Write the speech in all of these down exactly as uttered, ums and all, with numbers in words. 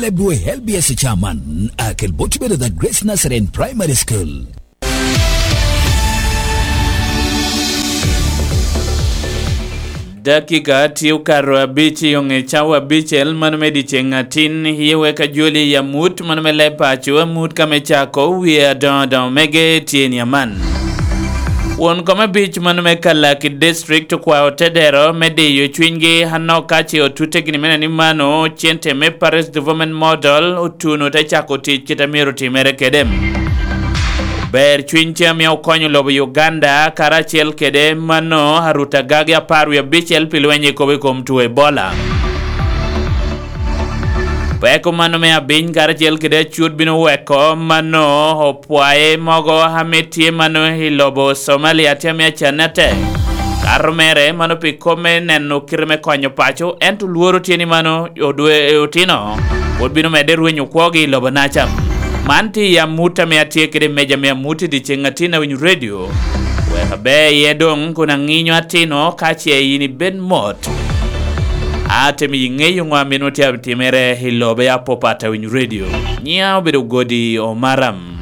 L B S chairman, akel bot bedo the Grace Nazarene Primary School. Dakika tye okato abic i oŋe cawa abicel, mano me dyeceŋ atin, iye wek ajoli i amut, mano me leb paco, amut ka me cako wie adoŋo adoŋo mege tye ni aman. Won kom abic mano me Kalaki District okwao te dero me diyo cwinygi anok ka ce otute gini mene ni mano cente me Parish Development Model otuno te cako tic kit a myero otimere kede. Ber cwiny ce ame okonyo lobo Uganda karacel kede mano aruta gagi apar wie abicel pi lweny i kobo i kom two Ebola. Peko mano me abiny karacel kede acut bino weko mano opwaye mogo ame tye mano i lobo Somalia tye ame acanne atek. Kato mere mano pi kop me neno kite me konyo paco, ento lworo tye ni mano odwe otino pwod bino medde rwenyo kwogi i lobo naca. Man tye i amut ame atye kede i meja me amut i dyeceŋ atin awinyo redio. Wek aber iye doŋ kun aŋinyo atino ka ce yin ibed mot. Atemo iŋeyo ŋo a mino tye atimere i lobe apopat awinyo redio. Nyiŋa obedo Godi Omaram.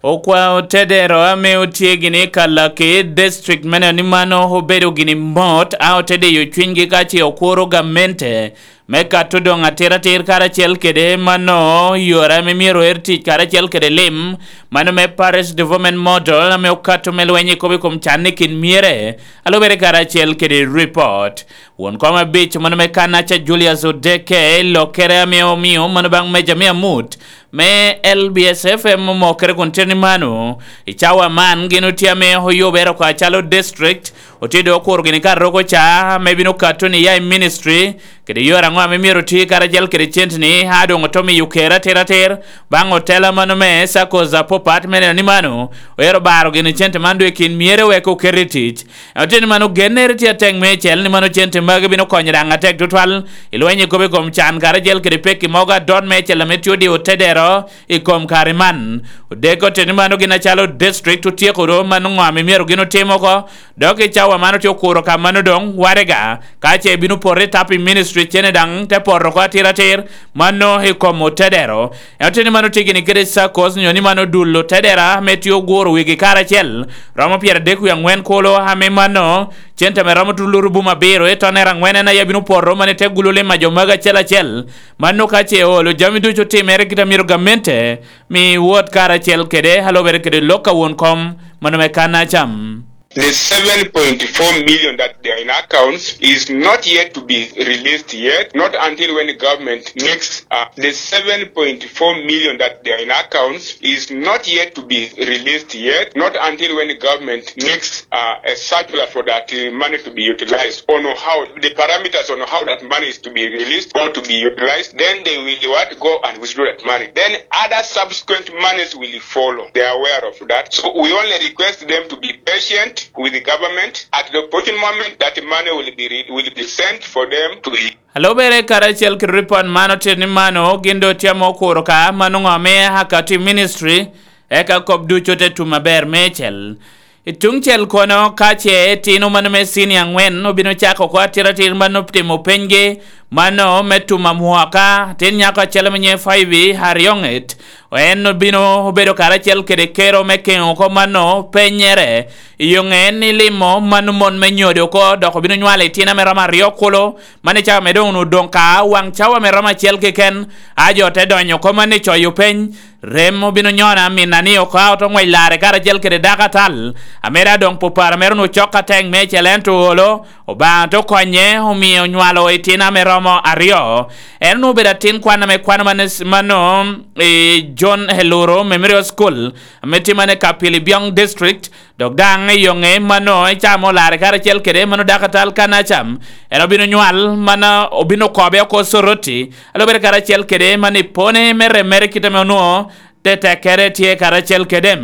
Okwao tedero ame otye gini i Kalaki District mene ni mano obedo gini mot, a ote diyo cwinygi ka ce okuro gamente me kato doŋ atiratir karacel kede mano yore ame myero er tic karacel kede lim, mano me Parish Development Model ame okato me lweny i kop i kom can i kin myere, a lubere karacel kede report. Won kom abic mano me Kanaca Julius Odeke, lokere ame omio mano baŋ meja me amut me L B S F M omokere kun tye ni mano, i cawa man gin otye ame oyubere oko acalo district, otye doŋ okuro gini ka roko ca ame bino kato ni ya i ministry, kede yore aŋo ame myero oti karacel kede cente ni, a doŋ oto miyo kere atiratir baŋ otela mano me circles apopat me neno ni mano, oyero baro gini cente man doŋ i kin myere wek oket i tic. Oteni mano gennere tye atek meicel ni mano cente magi bino konyo daŋ atek tutwal i lweny i kop i kom can karacel kede pekki mogo adot meicel ame tye odiyo tedero i kom kare man. Odeko oteni mano gin acalo district otyeko do mano ŋo ame myero gin otim oko, dok i cawa man otye okuro ka mano doŋ warega, ka ce bino poto i tap i ministry cene daŋ te poto oko atiratir, mano i kom otedero. En oteni mano tye gini kede circles nyo ni mano dul otedera ame tye oguro wigi karacel, romo pyeradek wie aŋwen kolo ame mano cente ame romo tulurubu abiro i tonere aŋwen en aye bino poto mano i te gulu lim a jo magi acel acel. Mano ka ce olo jami ducu otimere kit a myero gamente mi wot karacel kede a lubere kede lok a won kom mano me kan acam. The seven point four million that they are in accounts is not yet to be released yet, not until when the government makes, uh, the seven point four million that they are in accounts is not yet to be released yet, not until when the government makes, uh, a circular for that, uh, money to be utilized, on how the parameters on how that money is to be released or to be utilized, then they will what, go and withdraw that money. Then other subsequent monies will follow. They are aware of that. So we only request them to be patient with the government. At the opportune moment, that money will be re-, will be sent for them to. A lubere karacel kede ripot man otito ni mano gin doŋ tye ame okuro ka mano ŋo ame akato i ministry, eka kop ducu te tum aber meicel. I tuŋ cel kono, ka ce itino mano me cinia aŋwen obino cako oko atiratir mano timo penygi, mano me tum amwoka, tin nyako acel ame nyiŋe Five Arioŋet, en obino obedo karacel kede kero me keŋo oko mano penyere. I yo ŋe en ilimo mano mon me nyodo oko, dok obino nywalo itino ame romo aryo kulu, mano i cawa me doŋ onwoŋo doŋ ka waŋ cawa me romo acel keken, a jo te donyo oko mano i coyo peny. Rem obino nyona minna ni oko a oto ŋwec larre karacel kede dako atal, ame daŋ doŋ pupara mere onwoŋo cok atek meicel, ento olo, Obaŋa te konye, omio onywalo itino ame romo aryo. En onwoŋo obedo atin kwan ame kwano mane, mano, i John Heluro Memorial School, ame tye mane i Kapilibyong District, dok daŋ i yo ŋe mano, i cawa ame olarre karacel kede mano dako atal Kanacam, en obino nywal, mano obino kobe oko Soroti, a lubere karacel kede mano i pone me rem mere kit ame onwoŋo tetekkere tye karacel kede.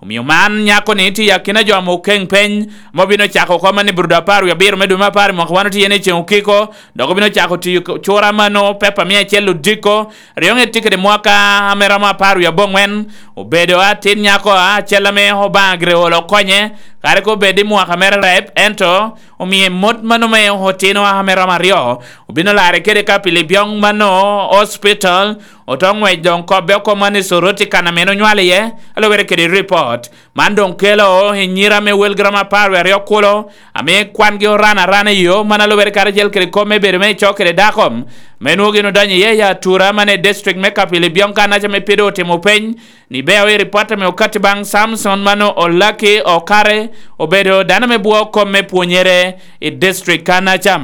Omio man nyako ni tye i akina jo ame okeŋ peny, ame obino cako oko man i brudo apar wie abiro me dwe me apar i mwaka wan otye iye ni ceŋ okiko, dok obino cako tiyo cura mano pepa mia acel odiko, ryoŋe tye kede mwaka ame romo apar wie aboŋwen. Obedo atin nyako acel ame Obaŋa gire olo okonye, kare ka obed i mwaka mere rep, ento omie mot mano me otino ame romo aryo, obino larre kede ka pi Libyoŋ mano hospital, oto ŋwec doŋ kobbe oko man i Soroti kan ame en onywal iye, alubere kede ripot. Man doŋ kelo i nyira me welgi romo apar wie aryo kulo, ame kwangi oran arana i yo, man alubere karacel kede kop me bedo me ico kede dako, me nwoŋo gin odonyo iye i atura man i district me Kapili Byoŋ kan aca me pide otimo peny, ni beo i ripot ame okatti baŋ Samson mano Olaki Okare, obedo dano me bwo kom me pwonyere i district kan aca.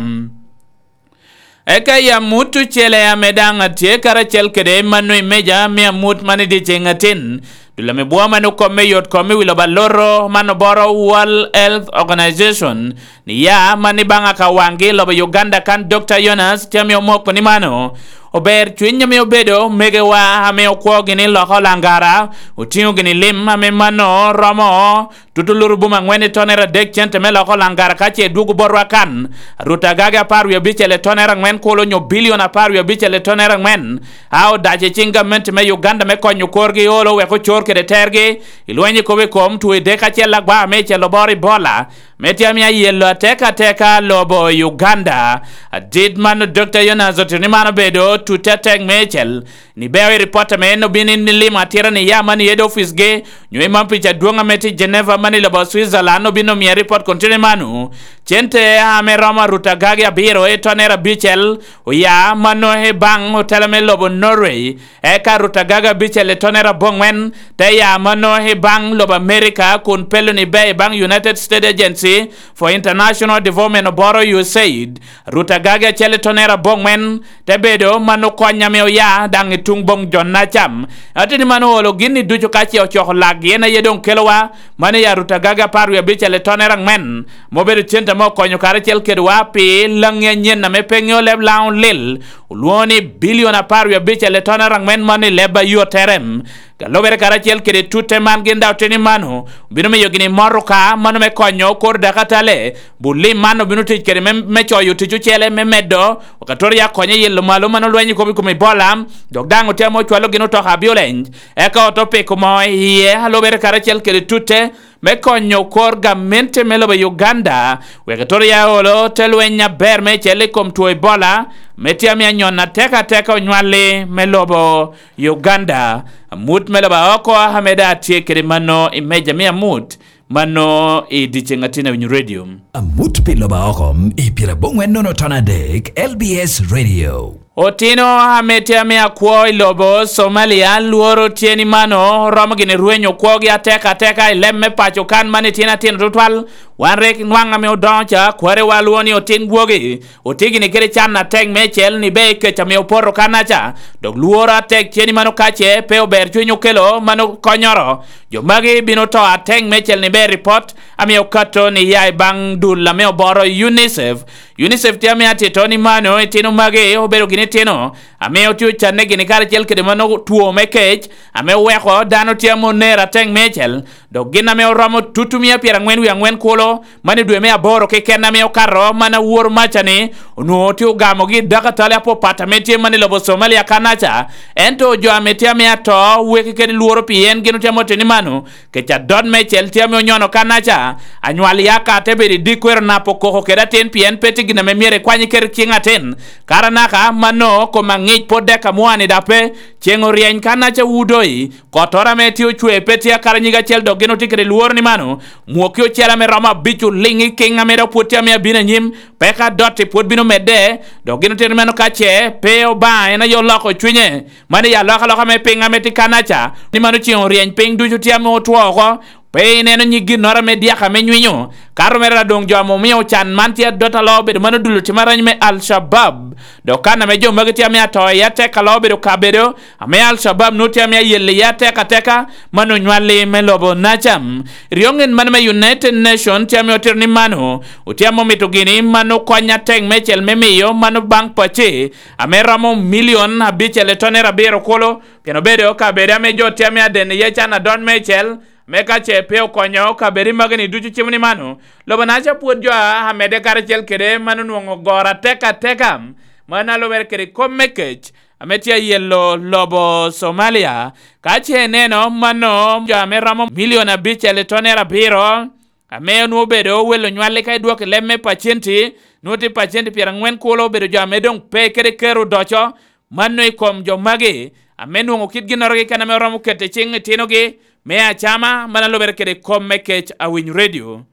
Eka i amut ocele ame daŋ atye karacel kede mano i meja me amut man i dyeceŋ atin, dul ame bwo man okomme yot kom i wi lobo aloro man oboro World Health Organization, ni ya man i baŋ aka waŋgi i lobo Uganda kan Dokta Jonas tye ame omoko ni mano ober cwiny ame obedo megewa ame okwo gini loka olangara, otiŋo gini lim ame mano romo tutu lurubum aŋwen i tonere adek cente me loko langara ka ce dwogo botwa kan. Rut agage apar wie abicel i tonere aŋwen kulo onyo bilion apar wie abicel i tonere aŋwen a odac i ciŋ gamente me Uganda me konyo korgi olo wek ocor kede tergi i lweny i kop i kom two i dek acel agwa me icel oboro Ebola, me tye ame ayelo atek ateka lobo Uganda. Adit man Dokta Jonas otito ni man obedo tutte atek me icel. Ni beo i ripot ame en obin in limo atira ni ya man i head office gi, nyo i man pica adwoŋ ame tye i Geneva man i lobo Switzerland obin omiya ripot kun tye ni mano. Cente ame romo arut agagi abiro i tonere abicel oya mano i baŋ otela me lobo Norway, eka arut agagi abicel i tonere aboŋwen te ya mano i baŋ lobo America kun pelo ni be i baŋ United States Agency for International Development oboro U S A I D. Arut agagi acel i tonere aboŋwen te bedo man okony ame oya daŋ i tuŋ boŋ jo-na cam. Ateni man oolo gin i ducu ka ce ocoko lak, yen aye doŋ kelowa man i arut agagi apar wie abicel i tonere aŋwen, ma obedo cente ame okonyo karacel kedwa pi laŋi anyen ame pe ŋeo leb Laŋo lil, olwoŋo ni bilion apar wie abicel i tonere aŋwen man i leb a yottere. Ka lubere karacel kede tutte man gin daŋ oteni mano, obino miyo gini motoka mano me konyo kor dakatale. Bulim man obino tic kede me, me coyo tic ocele me medo wakatoria konye yelo malo mano lweny i kom i kom Ebola, dok daŋ otemo cwalo gin otoka ambulance, eka oto piko moo iye alubere karacel kede tutte me konyo kor gamente me lobo Uganda, wek etoro ya olo te lweny aber me cel i kom two Ebola, me tye ame anyon atek ateka onywali me lobo Uganda. Amut me lobo oko ame daŋ atye kede mano i meja me amut, mano i dyeceŋ atin awinyo radio. Amut pi lobo oko i pyeraboŋwen nono ton adek L B S Radio. Otino ame tye ame akwo i lobo Somalia lworo tye ni mano romo gini rwenyo kwogi ateka ateka i leb me paco kan man itino atino tutwal. Wan rik nwaŋ ame odoŋo ca kwarewa lwongo ni otin gwogi, otye gini kede can atek me cel ni be kec ame opoto kanaca, dok lworo atek tye ni mano kace pe ober cwiny okelo mano konyoro. Jo magi bino to atek me cel ni be ripot ame okato ni ya i baŋ dul ame oboro UNICEF. UNICEF tye ame atito ni mano itino magi obedo gini itino ame otye ocanne gini karacel kede mano two me kec ame oweko dano tye ame oner atek me cel, dok gin ame oromo tutumia pyeraŋwen wie aŋwen kulo man i dwe me aboro keken ame okato man awor maca ni onwoŋo tye ogamogi i dakatali apapat ame tye man i lobo Somalia kanaca. Ento jo ame tye ame ato weki kede lworo pi en gin otye ame oteni mano, kec adot me cel tye ame onyono kanaca. Anywal yaka te bedo i dikwero napo koko kede atin pien pe tye gin ame myero ikwany iket i ciŋ atin. Kara naka mano kom aŋic pwod dek amwani dape, ceŋ oryeny kanaca wudoyi, kottoro ame tye ocwe pe tye akara nyig acel dok gin otye kede lworo ni mano mwokki ocel ame romo abic oliŋ i kiŋ ame dok pwod tye ame abino anyim, peka dotti pwod bino medde. Dok gin otito ni mano kace pe Obaŋa en aye oloko cwinye, mano i alokaloka me piŋ ame tye kanaca ni mano ceŋ oryeny piny ducu tye ame otwo oko. Pe ineno nyig ginnoro ame dyaka me nywinyo. Kato mere doŋ jo ame omio can man tye adot alo obedo mano dul otim arany me Al-Shabab. Dok kan ame jo magi tye ame ato i atek alo obedo kabedo ame Al-Shabab nwoŋo tye ame ayelle iye atek ateka, man onywalli me lobo nacam. Ryoŋen man me United Nation tye ame otito ni mano otye ame omito gini mano kony atek mecel me miyo mano baŋ pace ame romo milion abicel i tonere abiro kulo, pien obedo kabedo ame jo tye ame aden iye can adon mecel, Me ka ce pe okonyo kabedo i magi-ni ducu cimo ni mano, lobo-naca pwod jo a amedde karacel kede man onwoŋo goro atek ateka, mano a lubere kede kop me kec ame tye ayelo lobo Somalia. Ka ce ineno mano, jo ame romo milion abicel i tonere abiro, ame onwoŋo obedo welo nywalli ka idwoko i leb me pacenti, nwoŋo tye pacenti pyerangwen kulo obedo jo ame doŋ pe kede kero odoco, mano i kom jo magi, ame nwoŋo kit ginnoro keken ame oromo keto i ciŋ itinogi, me acama, mano a lubere kede kop me kec Awiny Radio.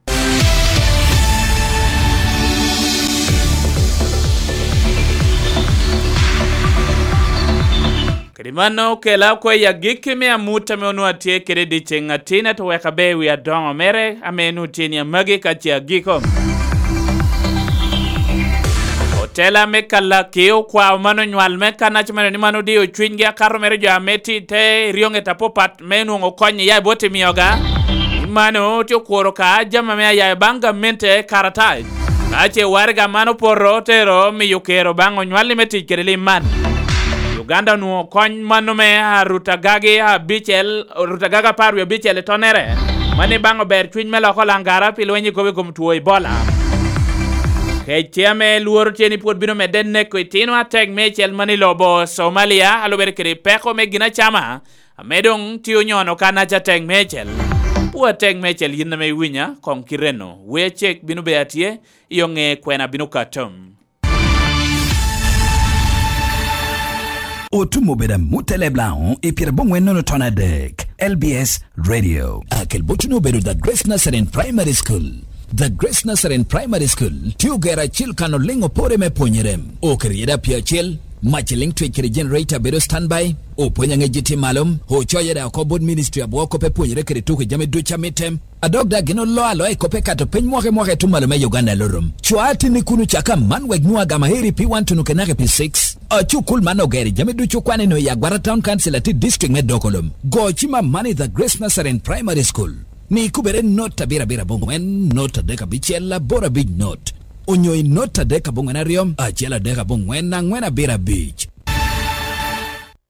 Kede mano, okela oko i agikki me amut ame onwoŋo atye kede i dyeceŋ atin, ento wek aber wi adoŋo mere ame onwoŋo tye ni amagi ka ce agiko. Otela me Kalaki okwao mano nywal me kanac mere ni mano odio cwinygi akato mere jo ame tye i te eryoŋet apapat me nwoŋo kony iya i bot i mioga. I mano tye okuro ka jami ame ayayo baŋ gamente karatac. Ka ce waraga man opoto, otero miyo kero baŋ onywalli me tic kede lim man. Uganda onwoŋo kony mano me arut agagi abicel, arut agagi apar wie abicel i tonnere. Mano i baŋ ober cwiny me loko langara pi lweny i kop i kom two Ebola. Kec tye ame lworo tye ni pwod bino medde neko itino atek meicel mano i lobo Somalia, a lubere kede peko me ginacama, ame doŋ tye onyono kanac atek meicel. Pwo atek meicel yin ame iwinya, koŋ kite-nu. Wer cek bino bedo atye, i oŋe kwena bino kato. Otum obedo amut eleb Laŋo i pyeraboŋwen nono ton adek, L B S Radio. Akel botuni obedo The Grace Nazarene Primary School. The Grace Nazarene Primary School tye ogero acil kan oliŋ opore me pwonyere. Oketo iye daŋ pii acel, mac eliŋ twec kede generator bedo standby, opwony aŋec tye malo, ocoyo daŋ oko bot ministry abwo kop epwonyere kede tuko jami ducu a mitte. A dok daŋ gin oloo aloa i kop ekato piny mwaka i mwaka i tuŋ malo me Uganda Lurum. Cwa atinni kun ocak aman wek nwoŋo agama heri pi wan tuno kenaka pi six. A cukul man ogero i jami ducu kwan eno i Agwata Town Council atit district me Dokolom. Go cim aman i The Grace Nazarene Primary School. Ni kubere not abiro abiro aboŋwen, not adek abicel, aboro abic not. Onyo i not adek aboŋwen aryo, acel adek aboŋwen, aŋwen abiro abic.